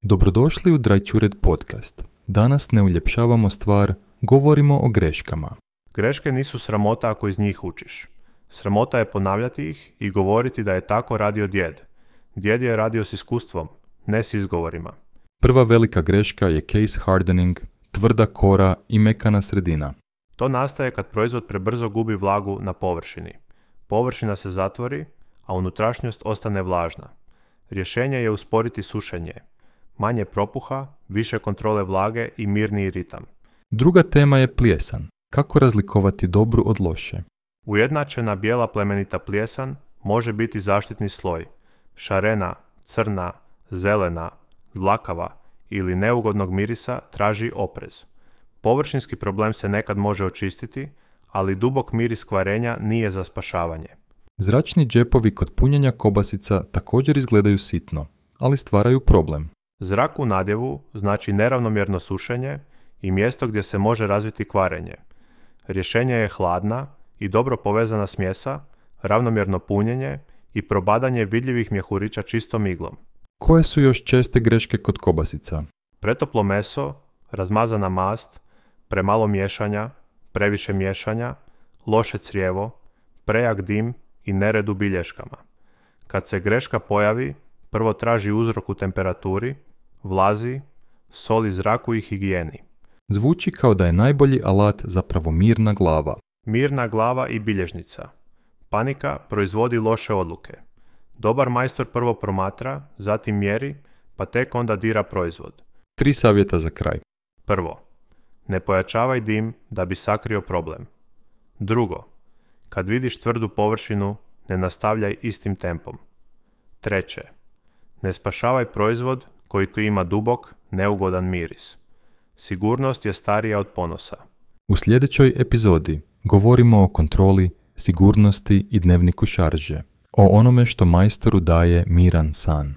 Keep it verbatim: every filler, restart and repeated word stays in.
Dobrodošli u Drajčured podcast. Danas ne uljepšavamo stvar, govorimo o greškama. Greške nisu sramota ako iz njih učiš. Sramota je ponavljati ih i govoriti da je tako radio djed. Djed je radio s iskustvom, ne s izgovorima. Prva velika greška je case hardening, tvrda kora i mekana sredina. To nastaje kad proizvod prebrzo gubi vlagu na površini. Površina se zatvori, a unutrašnjost ostane vlažna. Rješenje je usporiti sušenje. Manje propuha, više kontrole vlage i mirniji ritam. Druga tema je plijesan. Kako razlikovati dobru od loše? Ujednačena bijela plemenita plijesan može biti zaštitni sloj. Šarena, crna, zelena, dlakava ili neugodnog mirisa traži oprez. Površinski problem se nekad može očistiti, ali dubok miris kvarenja nije za spašavanje. Zračni džepovi kod punjenja kobasica također izgledaju sitno, ali stvaraju problem. Zrak u nadjevu znači neravnomjerno sušenje i mjesto gdje se može razviti kvarenje. Rješenje je hladna i dobro povezana smjesa, ravnomjerno punjenje i probadanje vidljivih mjehurića čistom iglom. Koje su još česte greške kod kobasica? Pretoplo meso, razmazana mast, premalo miješanja, previše miješanja, loše crijevo, prejak dim i nered u bilješkama. Kad se greška pojavi, prvo traži uzrok u temperaturi, vlazi, soli zraku i higijeni. Zvuči kao da je najbolji alat zapravo mirna glava. Mirna glava i bilježnica. Panika proizvodi loše odluke. Dobar majstor prvo promatra, zatim mjeri, pa tek onda dira proizvod. Tri savjeta za kraj. Prvo, ne pojačavaj dim da bi sakrio problem. Drugo, kad vidiš tvrdu površinu, ne nastavljaj istim tempom. Treće, ne spašavaj proizvod koji ima dubok, neugodan miris. Sigurnost je starija od ponosa. U sljedećoj epizodi govorimo o kontroli, sigurnosti i dnevniku šarže. O onome što majstoru daje miran san.